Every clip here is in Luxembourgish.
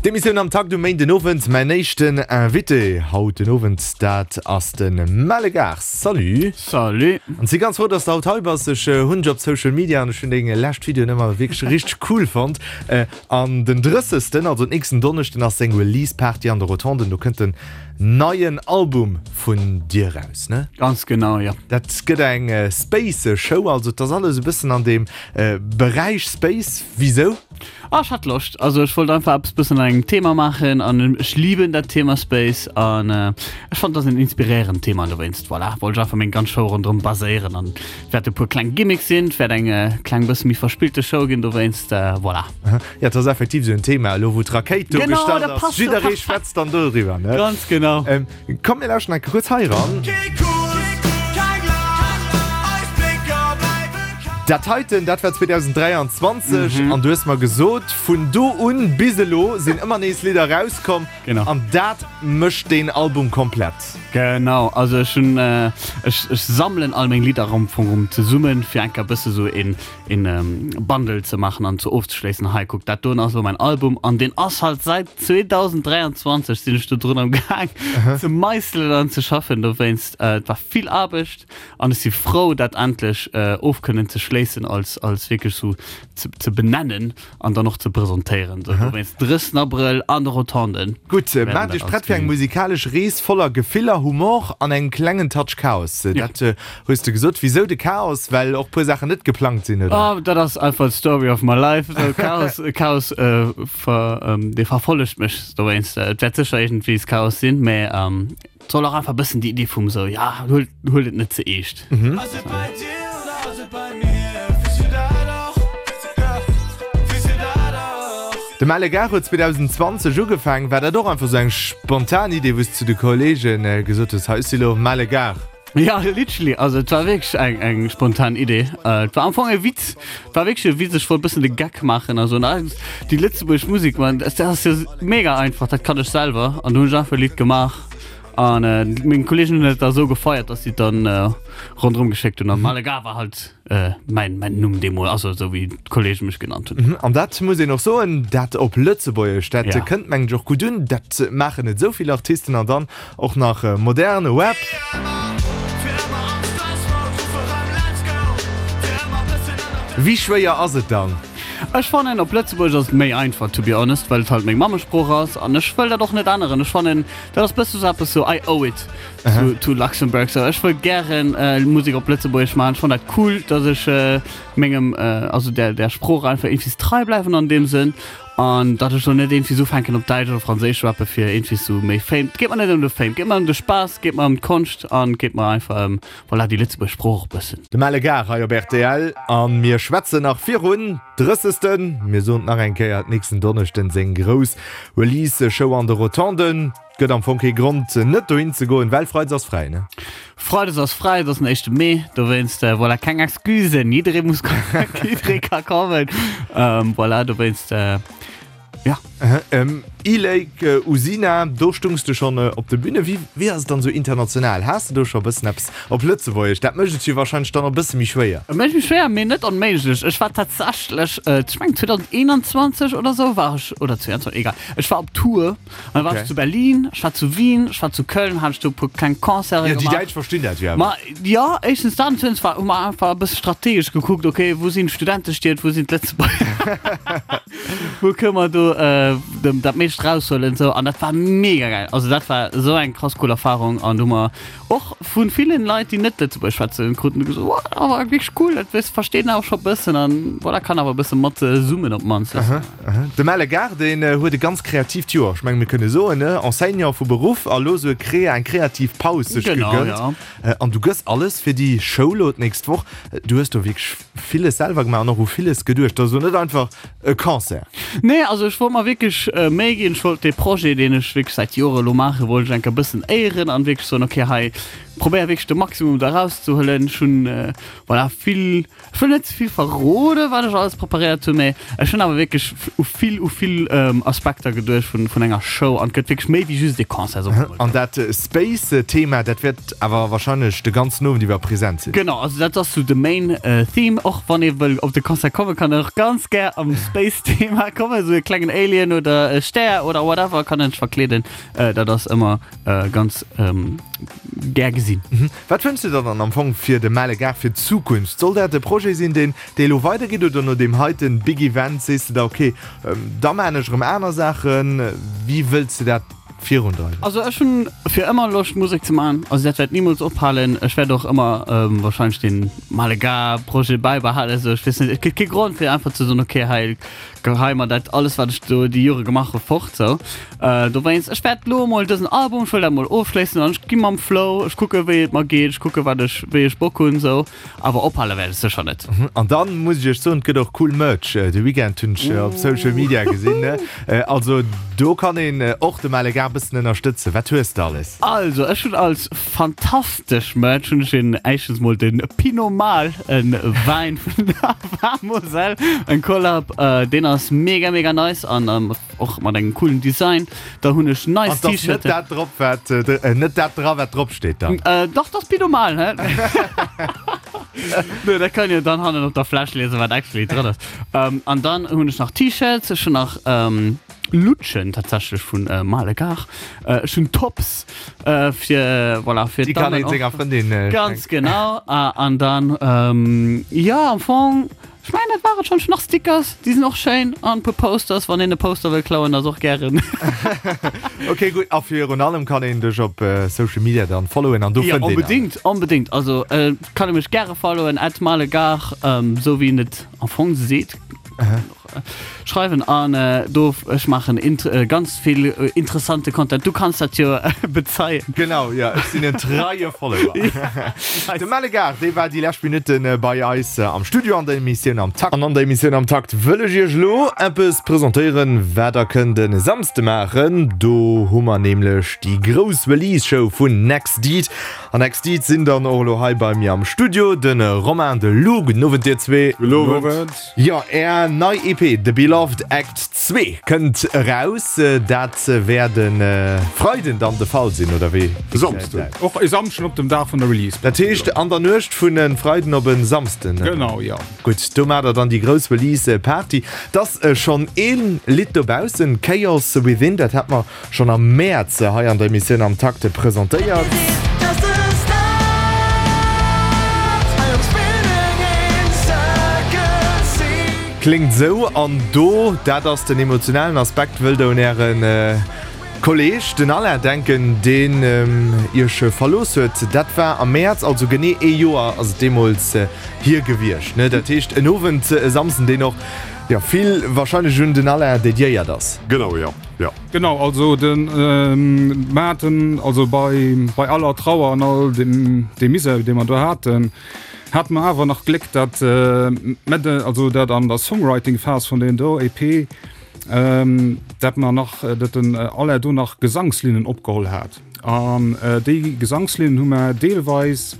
D'Emissioun Am Takt um Méindenowend. Mäin éischten Invité haut den Owend, dat ass de Melle Gars. Salut! Salut! An si ganz frou, dass de haut hei bass. Ech hunn dech op Social Media an ech hunn deng lescht Videoen ëmmer wierklech richteg cool fonnt. An den 30. also nächsten Donneschden ass seng Release Party an de Rotonden. Do kënnt den neien Album vun dir raus, ne? Ganz genau, jo. Dat gëtt eng Space Show, also et ass alles e bëssen an deem Beräich Space. Wisou? Ah, ech hat Loscht. Also ech wollt einfach eppes bëssen an engem Thema maachen an ech liben dat Thema Space an ech fand dat ass en inspiréierend Thema an dowéinst, voilà, wollt ech einfach meng ganz Show ronderëm baséieren an wäert e puer kleng Gimmicks sinn, et wäert eng kleng bësse méi verspillte Show ginn dowéinst, voilà. Jo, et ass effektiv esou en Thema elo wou d'Rakéit do Genau, gestallt dat ass. passt jo Jidderee perfekt. schwätzt dann doriwwer, ne? Ganz genau. Komm mir lauschten eng Kéier kuerz hei eran. Dat heiten, dat war 2023 an du hues mer gesot, vun do un bis elo sinn ëmmer nees Lidder erauskomm. Genau. An dat mécht deen Album komplett. Genau, also ech hunn, ech ech sammelen all meng Lidder am Fong erëm zesummen, fir eng Kéier e bësse sou een een Bundle ze maachen an ze ofzeschléissen, hei kuck dat doen ass elo mäin Album an deen ass halt säit 2023 sinn ech do drun am Gaang ze meisselen an ze schaffen dowéinst. Et war vill Aarbecht an ech si frou dat endlech of kënnen ze schléissen als als wierklech sou ze ze benennen an dann och ze presentéieren. Sou dowéinst 30 Abrëll an de Rotonden. Gutt, maacht iech prett fir eng musikalesch Rees voller Gefiller, Humor an engem klengen Touch Chaos. Dat Hues de gesot? Wisou de Chaos? Well och puer Saachen net geplangt sinn, oder? Oh, dat ass einfach d'Story of my life. Esou Chaos, Chaos äh, ver, ähm, dee verfollegt mech dowéinst. Et wäert sécher iergendwéi Chaos sinn, mä ähm, et soll och einfach e bëssen déi Iddi vum esou, ja, huelt, huelt et net ze eescht. Mhm. De Melle Gare huet 2020 ugefaangen. War dat och einfach esou eng spontan Idee, wou s de zu de Kolleegen gesot hues, hei, ech si lo Melle Gare? Ja, literally, also et war wierklech eng, eng spontan Idee. Äh, et war am Fong e Witz, et war wierklech e Witz, ech wollt bëssen de Geck maachen a soen, ah, déi lëtzebuergesch Musek, man, dat ass jo mega einfach, dat kann ech selwer. An du hunn ech einfach e Lidd gemaach an äh, meng Kolleegen hunn et da sou gefeiert, dass si et dann äh, ronderëm geschéckt hunn. An Malaga war halt Mäin mäin Numm deemol, also esou wéi d'Kollege mech genannt hunn. An dat muss een och soen, dat op Lëtzebuergesch, dat Ja. kënnt mengen ech och gutt un. Dat maachen net esou vill Artisten an dann och nach modern Rap. Wéi schwéier ass et dann? Ech fannen op Lëtzebuergesch ass et méi einfach to be honest, well et halt meng Mammesprooch ass an ech wëll dat och net änneren. Ech fannen dat ass bësse sou eppes sou I owe it to, to Luxembourg. So, ech wëll gären äh, Musek op Lëtzebuergesch maachen. Ech fannen dat cool, dass ech äh, mengem äh, also der, der Sprooch einfach irgendwie trei bleiwen an dem Sënn. An datt ech lo net irgendwie sou fänken op Däitsch oder Franséisch rappe fir irgendwie sou méi Fame. Et geet mer net ëm de Fame, et geet mer ëm de Spaass, et geet mer ëm d'Konscht an et geet mer einfach ëm voilà, déi lëtzebuergesch Sprooch och bëssen. De Melle Gare hei op rtl an mir schwätzen nach virun 30. Mir soen et nach eng Kéier, nächsten Donneschden seng grouss Release Show an de Rotonden. Gëtt am Fong kee Grond net dohin ze goen, well Freides ass fräi, ne? Freides ass fräi, et ass den éischte Mee, dowéinst voilà, keng Excusen, jidderee muss kommen, jidderee ka kommen, voilà, dowéinst jo. E-Lake Usina, do stungs de schonn op de Büne. Wéi, wéi ass et dann esou international? Has de do scho e bëssen eppes op Lëtzebuergesch? Dat mécht et jo warscheinlech dann och e bësse méi schwéier. Et mécht méi schwéier, mee net onméiglech. Ech war tatsächlech, ech mengen 2021 oder esou war ech, oder 22, egal, ech war op Tour. An da war ech zu Berlin, ech war zu Wien, ech war zu Köln, hat ech do e puer kleng Concerte Ja, déi gemaach. Däitsch verstinn dat jo awer. Ma jo, éischtens dat an zweetens war, hu mer einfach e bësse strategesch gekuckt, okay, wou sinn d'Studentestied, wou sinn d'Lëtzebuerger, wou kënne mer do dem dat meescht raushuelen esou. An dat war mega gäil. Also dat war esou eng krass cool Erfarung an do hu mer och vu villen Leit, déi net Lëtzebuergesch schwätzen, kruten gesot, wow, dat war wierklech cool, dat wëss versteet een awer scho e bëssen an voilà, kann awer e bësse mat summen op d'mannst. De Melle Gard, deen huet e ganz kreatiivt Joer, ech menge mir kënne soen, ne? Enseignant vu Beruff a lo sou e Krea, eng kreativ Paus sech Genau, gegönnt. ja. An du gëss alles fir déi Show lo d'nächst Woch. Du hues do wierklech villes selwer gemaach an och u villes geduecht. Dat ass lo net einfach e Concert. Nee, also ech wollt mer wierklech Méi ginn. Ech wollt dee Projet, deen ech wierklech säit Jore lo maachen, wollt ech eng Kéier e bëssen éieren an wierklech soen, okay, hei. Probéier wierklech de Maximum do erauszehuelen. Ech hunn voilà vill, ech wëll net ze vill verroden, wat ech alles preparéiert hunn, mee ech hunn awer wierklech u vill, u vill Aspekter geduecht vun, vun enger Show an et gëtt wierklech méi wéi just ee Concert, soe mer mol. An dat Space-Thema, dat wäert awer warscheinlech de ganzen Owend iwwer present sinn? Genau, also dat ass sou de main Theme. Och wann ee wëll op de Concert kommen, kann een och ganz gär am Space-Thema kommen, sou e klengen Alien oder e Stär oder whatever kann een sech verkleeden. Dat ass ëmmer Ganz gär gesinn. Wat wënschs de der dann am Fong fir de Male Gars fir d'Zukunft? Soll dat e Projet sinn, deen dee elo weidergeet oder no deem heiten Big Event sees de da, ok, da maachen ech erëm aner Saachen? Wéi wëlls de dat virundreiwen? Also ech hunn fir ëmmer Loscht Musek ze maachen, also dat wäert nimools ophalen. Ech wäert och ëmmer wahrscheinlech dee Male Gars Projet bäibehalen. Also ech weess net, et gëtt kee Grond fir einfach ze soen, ok hei Gehei mer dat alles wat ech do déi Jore gemaach hu fort sou. Dowéinst ech wäert lo mol dësen Album, ech wëll dat mol ofschléissen an ech gi mam Flow, ech kucke wéi et mer geet, ech kucke wat ech wéi ech Bock hunn sou, awer ophale wäert ech sécher net. An dann muss ech iech soen, et gëtt och cool Merch de Weekend, hunn ech op Social Media gesinn. Also do kann een och de Male Gars bëssen ënnerstëtzen. Wat hues de alles? Also ech hunn als fantastesch Merch hunn ech een éischtens mol den Pinot Mal, en Wäin vun der Moselle, en Collab, deen ass mega mega nice an och mat engem coolen Design. Da hunn ech nice An 't ass net T-Shirten. dat drop wat net dat dra wat drop steet dann? Dach, 't ass Pinot Mal, hä? Nee, dat kann jo dann hannen op der Fläsch liesen wat actually dran ass. An dann hunn ech nach T-Shirts, ech hunn nach Lutschen tatsächlech vun Male Gars. Ech hunn Tops fir voilà fir Déi kann een senger Frëndin schenken. Ganz genau. An dann jo am Fong ech mengen dat war et schonn. Ech hunn nach Stickers, déi sinn och schéin an e puer Posters, wann een e Poster wëll klauen ass och gären. Ok gutt a virun allem kann een dech op Social Media dann followen an do fënnt een alles. Jo onbedéngt, onbedéngt. Also kann ee mech gäre followen at malegars esou wéi een et am Fong seet. Schreiwen an do ech maachen ganz vill interessante Content. Du kanns dat jo bezeien. Genau, jo, ech sinn en treie Follower. De Melle Gars, dee war déi lescht Minutte bei eis am Studio an der Emissioun Am Takt. An an der Emissioun Am Takt wëll ech iech elo eppes presentéieren, wat der kënnt e Samsde maachen. Do hu mer nämlech déi grouss Release-Show vun Next Deed. An Next Deed sinn dann och elo hei bei mir am Studio, de Romain, de Lou. Gudden Owend dir zwee. Gudden Owend. Jo, är nei EP The Beloved Act 2 kënnt eraus. Dat wäert e Freiden dann de Fall sinn, oder wéi? E Samsden. Och e Samschden op dem Dag vun der Release. Dat heescht an der Nuecht vun e Freiden op e Samsden? Genau, jo. Gutt, do maacht der dann déi grouss Release Party. Et ass schonn ee Lidd dobaussen, Chaos Within, dat hat mer Schonn am Mäerz hei an der Emissioun Am Takt presentéiert. Kléngt esou an do, dat ass den emotionalen Aspekt, wëllt der un äre Kolleeg, den Alain, denken, deen iech verlooss huet. Dat war am Mäerz, also genee ee Joer ass et deemools hier gewiescht. Dat heescht en Owend, e Samsden, deen och jo vill warscheinlech un den Alain dediéiert ass. Genau, jo. Jo. Genau, also de mer haten, also bei, bei aller Trauer an all dem, deem Misär, dee mer do haten, hate mer awer nach Gléck, dat mer de, also dat an der Songwriting-Phas vun deem do EP, dat mer nach, dat den Alain do nach Gesangslinnen opgeholl hat. An déi Gesangslinnen hu mer deelweis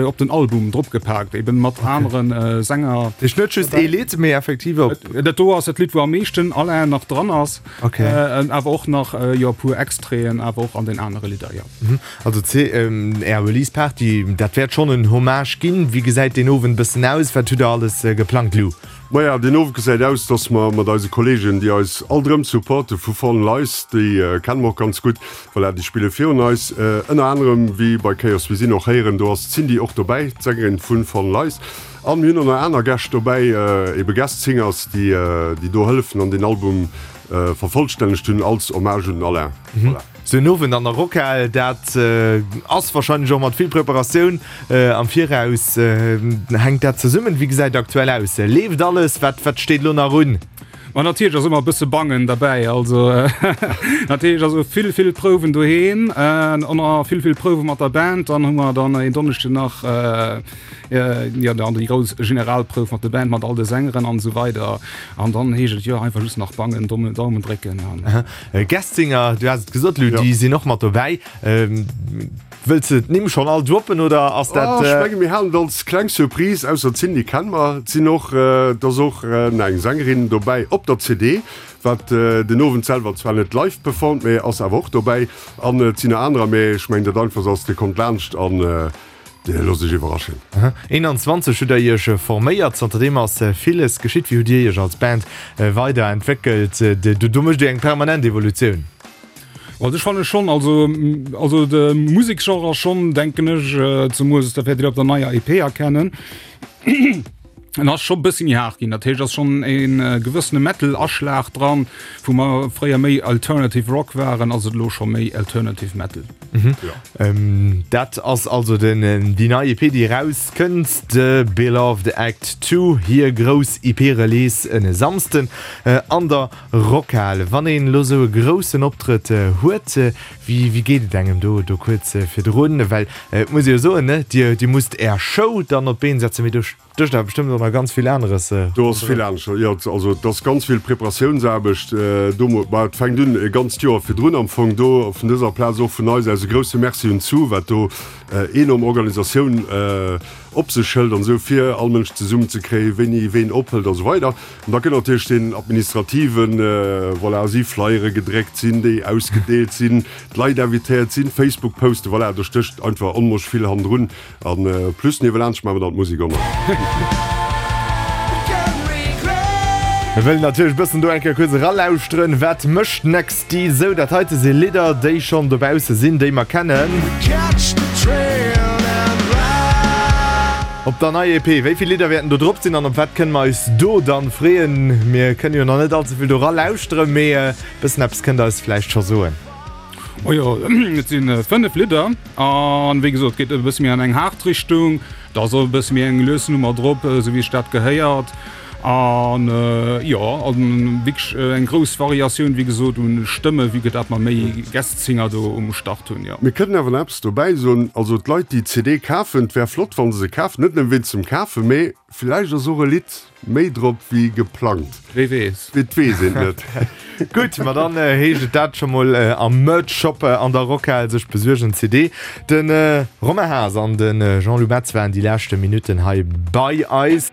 op den Album drop gepaakt, eben mat aneren Sänger. Heescht net just ee Lidd, mee effektiv op. Dat do ass dat Lidd, wou am meeschten Alain nach dran ass. Okay. Awer och nach, jo, e puer Extraiten awer och an den anere Lidder, jo. Also Är Release Party, dat wäert schonn en Hommage ginn. Wéi gesäit deen Owend e bëssen aus? Wat hutt Der alles geplangt, Lou? Maja, deen Owend gesäit aus, dass mer mat eise Kollegen, déi eis alt erëm supporte vu Fallen Lies, déi kenne mer och ganz gutt, voilà, déi spille virun eis, ënner anerem wéi bei Chaos We Sinn och héieren, do ass d'Cindy och dobäi, d'Sängerin vu Fallen Lies. An mir hunn och nach aner Gäscht dobäi, ebe Guest Singers, déi, déi do hëllefen an deen Album vervollstännegt hunn als Hommage un den Alain. Voilà. Sou en Owend an der Rockhal, dat ass warscheinlech och mat vill Preparatioun am Viraus. Hänkt dat zesummen? Wéi gesäit et aktuell aus? Leeft alles? Wat wat steet elo nach un? Ma natierlech ass ëmmer e bësse Bangen derbäi. Also natierlech also vill, vill Prouwen doheem, an vill, vill Prouwe mat der Band. Dann hu mer dann en Donneschden nach jo dann déi grouss Generalprouf mat der Band, mat all de Sängeren an esou weider. An dann heescht et jo einfach just nach bangen, Daumen drécken an. Guest Singer, du has et gesot Lou, déi sinn och mat dobäi. Wëlls de d'Nimm schonn all droppen oder ass dat. Oh, ech menge mir halen et als kleng Surprise, ausser d'Cindy kenne mer. Et sinn och, et ass och eng Sängerin dobäi op der CD, wat den Owend selwer zwar net live performt, mee ass awer och dobäi. An et sinn nach anerer, mee ech mengen dat einfachst ass, dir kommt laanscht an dir loosst iech iwwerraschen. 21 hutt der iech forméiert, zanterdeem ass villes geschitt. Wéi hutt dir iech als Band weiderentwéckelt? Do mécht dir eng permanent Evolutioun. Also ech fanne schonn, also also de Museksgenre ass schonn, denken ech, zemools dat wäert Dir op der neier EP erkennen, en ass scho bëssi méi haart ginn. Dat heescht, ass schonn e gewëssene Metal-Aschlag dran, wou mer fréier méi Alternative Rock waren, ass et elo scho méi Alternative Metal. Dat ass also den déi nei EP, déi erauskënnt, The Beloved Act Two, hir grouss EP-Release en Samsden an der Rockhal, wann een elo sou e groussen Optrëtt huet, wéi wéi geet et engem do do kuerz virdrun? Well et muss ee jo soen, ne, dir dir musst är Show dann op d'Been setzen, mee do stécht awer bestëmmt och nach ganz vill aneres Do ass vill anescht, jo, also et ass ganz vill Preparatiounsaarbecht do. Bah, et fänkt un e ganzt Joer virdrun am Fong. Do vun dëser Plaz och vun eis aus e grousse Merci un d'Sue, wat do enorm Organisatioun op sech hëlt an esou, fir all Mënsch zesummen ze kréien, wéini ween ophëlt a sou weider. An da kënnt natierlech deen administrativen, voilà, si Flyere gedréckt, sinn déi ausgedeelt, sinn d'Leit invitéiert, sinn Facebook-Posten, voilà, do stécht einfach onmosch vill hannendrun. An plus niewelaanscht maache mer dann d'Musek och nach. Mir wëllen natierlech e bëssen do eng Kéier kuerz eralauschteren, wat mécht Nexty sou. Dat heite si Lidder, déi schonn dobausse sinn, déi mer kennen. Op der neier EP, wéi vill Lidder wäerten do drop sinn an op wat kënne mer eis do dann freeën? Mir kënne jo nach net all ze vill do ralauschteren, mee e bëssen eppes kënnt der eis vläicht scho soen. Oh jo, et si 5 Lidder an wéi gesot, geet e bësse méi an eng haart Richtung. Da ass och e bësse méi eng lues Nummer drop, esou wéi sech dat gehéiert. An jo, an wierklech eng grouss Variatioun, wéi gesot, un Stëmme, vue que dat mer méi Guest Singer do um Start hunn, jo. Mir kënnen awer nach eppes dobäi soen, also d'Leit déi d'CD kafen, et wär flott wa se se kafen, net nëmme wéinst dem Kafen, mee villäicht ass och e Lidd méi drop wéi geplangt. Wee weess. Et weess een net. Gutt, ma dann heescht et dat scho mol am Merch Shop an der Rockhal sech besuergen, CD. De Romain Haas an de Jean-Lou Metz waren déi leschte Minutten hei bei eis.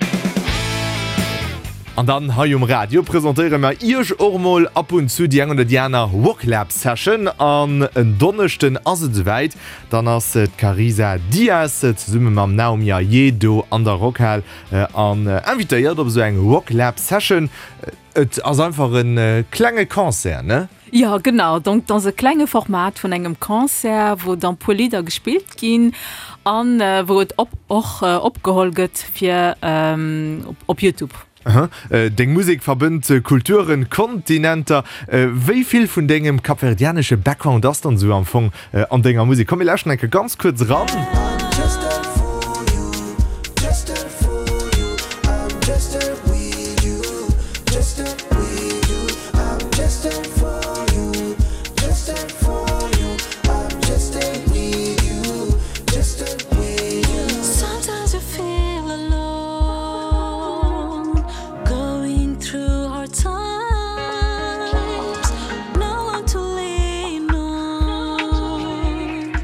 An dann hei um Radio presentéiere mer Iech och mol ab und zu déi eng oder déi aner Wocklab Session. An en Donneschden ass et esouwäit, dann ass d'Carisa Dias zesumme mam Naomi Ayedo an der Rockhal An invitéiert op esou eng Rocklab Session. Et ass einfach e klenge Concert, ne? Jo, genau. Donc et ass e klenge Format vun engem Concert, wou dann puer Lidder gespillt ginn an wou et op och opgeholl gëtt fir op Youtube. Aha. Deng Musek verbënnt Kulturen, Kontinenter. Wéi vill vun dengem kapverdianesche Background ass dann esou am Fong an denger Musek? Komm mir lauschten eng Kéier ganz kuerz eran.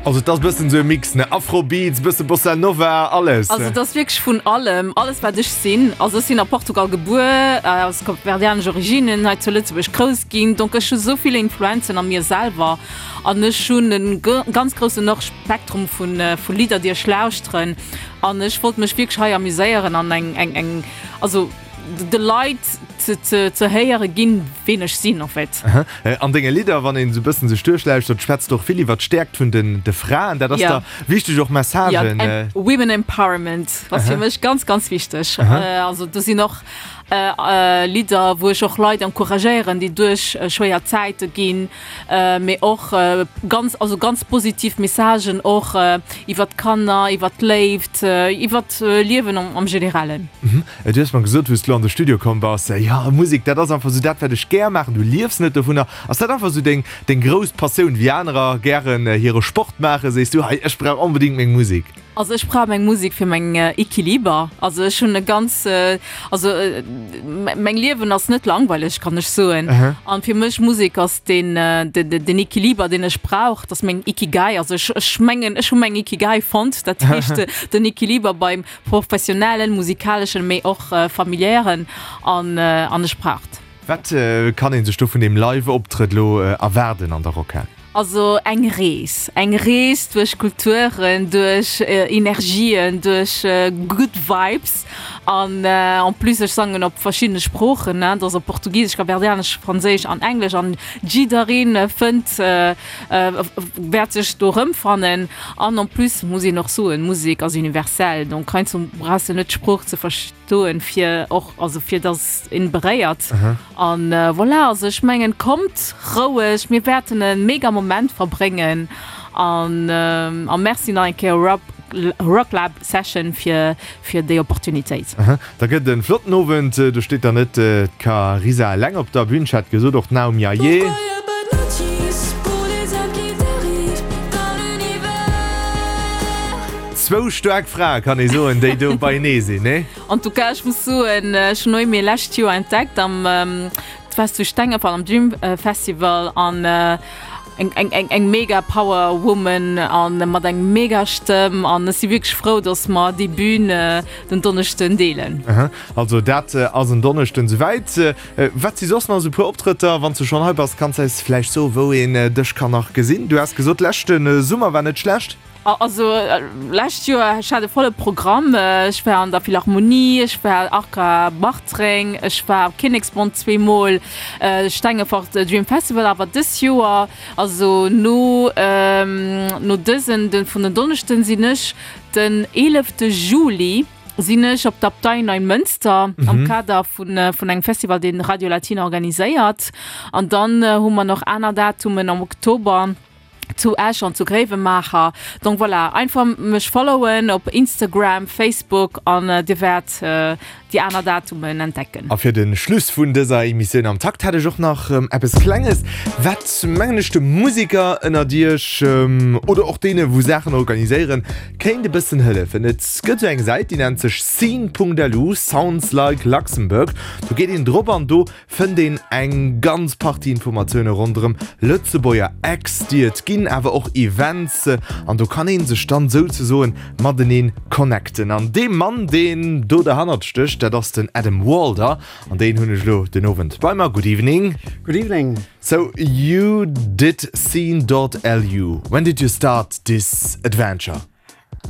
Also et ass bëssen esou e Mix, ne? Afrobeats, bësse Bossa Nova, alles. Also et ass wierklech vun allem, alles wat ech sinn. Also ech sinn a Portugal gebuer, aus kapverdianesch Originnen, hei zu Lëtzebuerg grouss ginn. Donc ech hu sou vill Influenzen a mir selwer an ech hunn e ganz groussen och Spektrum vu Lidder déi ech lauschteren. An ech wollt mech wierklech hei amuséieren an eng, eng, eng, also de Leit ze, ze, ze héiere ginn, ween ech sinn en fait. Aha. An denge Lidder, wann een esou e bëssen sech duerchlauschtert, schwätz de och vill iwwer d'Stäerkt vun den, de Fraen. Dat ass Ja. der wichteg, och Ja, Messagen. em, Women Empowerment ass fir mech ganz, ganz wichteg. Also do sinn och Lidder, wou ech och Leit encouragéieren, déi duerch schwéier Zäite ginn. mee och ganz, also ganz positiv Messagen och iwwert d'Kanner, iwwert d'Léift, iwwert d'Liewen am Generellen. Du hues mer gesot, wou s du an de Studio komm bass, jo Musek, dat ass einfach esou dat, wat ech gär maachen. Du liefs net dovunner. Ass dat einfach esou deng, deng grouss Passioun? Wéi anerer gären hire Sport maachen, sees du, hei ech brauch onbedéngt meng Musek? Also ech brauch meng Musek fir meng Equiliber. Also ech hunn e ganz, also meng Liewen ass net langweileg, kann ech soen. An fir mech Musek ass den den Equiliber, deen ech brauch, dat ass meng Ikigai. Also ech ech mengen ech hu meng Ikigai fonnt, dat heescht den Equiliber beim professionellen, musikaleschen, mee och familiären an an ech brauch et. Wat kann ee sech do vun deem Live-Optrëtt elo erwaarden an der Rockhal? Also eng Rees, eng Rees duerch Kulturen, duerch Energien, duerch good vibes an en plus ech sangen op verschiddene Sproochen, ne, dat ass op Portugisesch, Kapverdianesch, Franséisch an Englesch an jiddereen fënnt, wäert sech do erëmfannen an en plus muss een och soen, Musek ass universell, donc heiansdo brauchs de net d'Sprooch ze doen fir och also fir dass een beréiert an voilà also ech mengen kommt roueg mir wäerten e mega Moment verbréngen an a Merci nach eng Kéier Rock Rocklab Session fir fir déi Opportunitéit. Da gëtt en flotten Owend, do steet dann net d'Carisa eleng op der Bühn, ech hat gesot och d'Naomi Ayé. Zwou staark Frae kann ee soen, déi do beienee sinn, nee? En tout cas, ech muss soen, ech hunn Noémie lescht Joer entdeckt am, et war zu Stengefort am Dream Festival an eng, eng, eng, eng mega Power Woman an mat eng mega Stëmm an ech si wierklech frou, dass mer déi Bühn den Donneschden deelen. Aha, also dat ass en Donneschden souwäit. Wat si soss nach esou puer Optrëtter? Wann s du schonn hei bass, kanns eis vläicht soen, wou een dech kann nach gesinn? Du has gesot, leschte Summer war net schlecht. Also lescht Joer, ech hat e volle Programm. Ech war an der Philharmonie, ech war Arca Bartreng, ech war op Kinneksbond zweemol, Stengefort Dream Festival. Awer dës Joer, also no no dësen de vun den Donneschden, sinn ech den eelefte Juli sinn ech op der Abtei Neimënster am Kader vun vun engem Festival, deen Radio Latina organiséiert. An dann hu mer nach aner Datumen am Oktober. Zu Esch an zu Gréiwemaacher. Donc voilà, einfach mech followen op Instagram, Facebook an dir wäert déi aner Datumen entdecken. A fir de Schluss vun dëser Emissioun am Takt hätt ech och nach eppes Klenges, wat mengen ech de Musiker ënnert iech oder och deene wou Saachen organiséieren, kéint e bëssen hëllefen. Et gëtt esou eng Säit, déi nennt sech scene.lu, Sounds like Luxembourg. Do geet een drop an do fënnt een eng ganz Partie Informatioune ronderëm Lëtzebuerger Acts, déi et ginn, awer och Events an do kann ee sech dann souzesoen matenee connecten. An dee Mann, deen do derhannert stécht, dat ass den Adam Walder an deen hunn ech elo den Owend bei mer. Good evening. Good evening. So you did scene.lu. When did you start this adventure?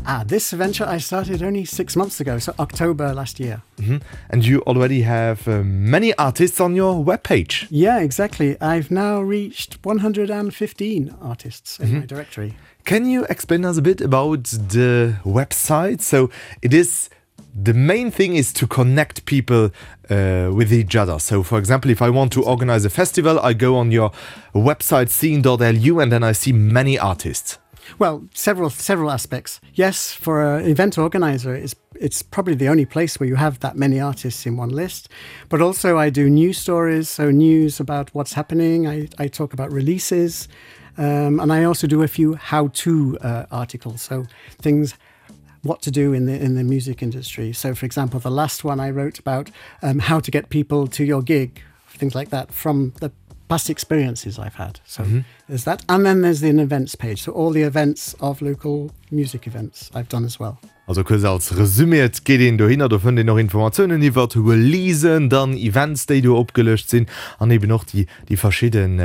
Ah, this venture I started only six months ago, so October last year. Mm -hmm. And you already have uh, many artists on your webpage. Yeah, exactly. I've now reached 115 artists in mm -hmm. my directory. Can you explain us a bit about the website? So it is the main thing is to connect people uh, with each other. So for example, if I want to organize a festival, I go on your website scene.lu and then I see many artists. Well, several several aspects. Yes, for an event organizer, it's, it's probably the only place where you have that many artists in one list. But also I do news stories, so news about what's happening. I, I talk about releases. Um, and I also do a few how-to uh, articles, so things what to do in the in the music industry. So for example, the last one I wrote about um, how to get people to your gig, things like that from the past experiences I've had. So mm -hmm. there's that and then there's the events page so all the events of local music events I've done as well. Also kuerz als Resumé, et geet een dohinner, do fënnt een och Informatiounen iwwert Releasen, dann Events déi do opgelëscht sinn an eben och déi déi verschidden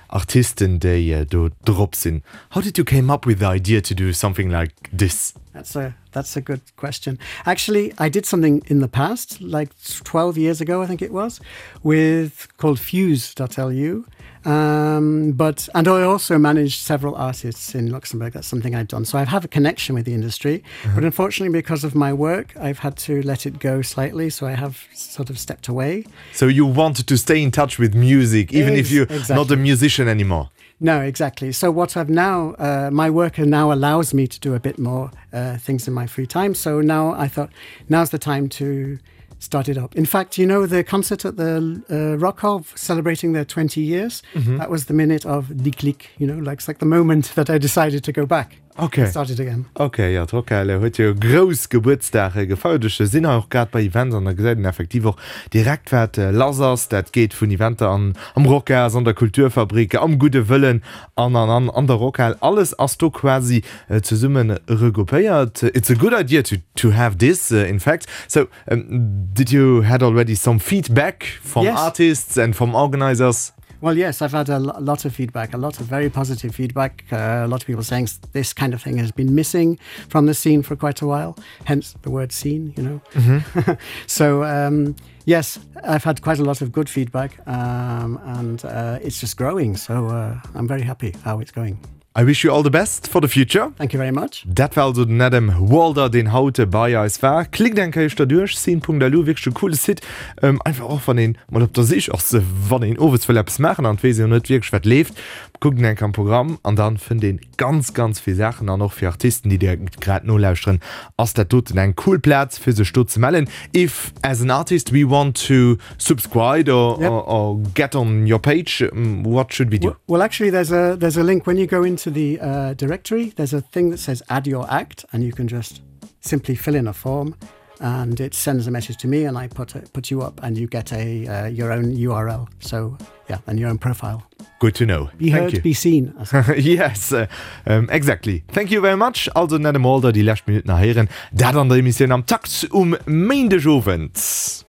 Artisten déi do drop sinn. How did you came up with the idea to do something like this? That's a that's a good question. Actually, I did something in the past, like 12 years ago, I think it was, with called fuse.lu. Um, but and I also managed several artists in Luxembourg. That's something I've done. So I have a connection with the industry, mm -hmm. but unfortunately, because of my work, I've had to let it go slightly. So I have sort of stepped away. So you wanted to stay in touch with music, even Ex if you're exactly. not a musician anymore. No, exactly. So what I've now uh, my work now allows me to do a bit more uh, things in my free time. So now I thought now's the time to start it up. In fact, you know the concert at the uh, Rockhall celebrating their 20 years mm -hmm. that was the minute of the click, you know, like it's like the moment that I decided to go back. Okay. Started again. Okay, jo, d'Rockhal huet jo grouss Gebuertsdag gefeiert. Ech sinn hei och grad bei Events an da gesäit een effektiv och direkt wat lass ass. Dat geet vun Eventer an am Rocas, an der Kulturfabrik, am Gudde Wëllen an an an an der Rockhal. Alles ass do quasi zesumme regroupéiert. It's a good idea to to have this in fact. So did you had already some feedback from yes. artists and from organizers? Well, yes, I've had a lot of feedback, a lot of very positive feedback. Uh, a lot of people saying this kind of thing has been missing from the scene for quite a while, hence the word scene, you know. Mm -hmm. so um, yes, I've had quite a lot of good feedback um, and uh, it's just growing. So uh, I'm very happy how it's going. I wish you all the best for the future. Thank you very much. Dat war also den Adam Walder, deen haut bei eis war. Klickt eng Kéier éischter duerch, scene.lu, wierklech e coole Site. Einfach och wann een mol op der Sich ass, wann een owes wëll eppes maachen an et weess een net wierklech wat leeft, kuckt een eng Kéier am Programm an dann fënnt een ganz ganz vill Saachen. An och fir Artisten, déi dir grad nolauschteren, ass dat doten eng cool Plaz fir sech do ze mellen. If as an artist we want to subscribe or, yep. or, or get on your page, what should we do? Well, well actually there's a there's a link when you go into the uh, directory, there's a thing that says add your act and you can just simply fill in a form and it sends a message to me and I put it, put you up and you get a uh, your own URL so yeah and your own profile. Good to know. Be Thank heard, you. be seen. yes, uh, um, exactly. Thank you very much. Also den Adam Walder déi lescht Minutten nach héieren, dat an der Emissioun am Takt um Méindegowend.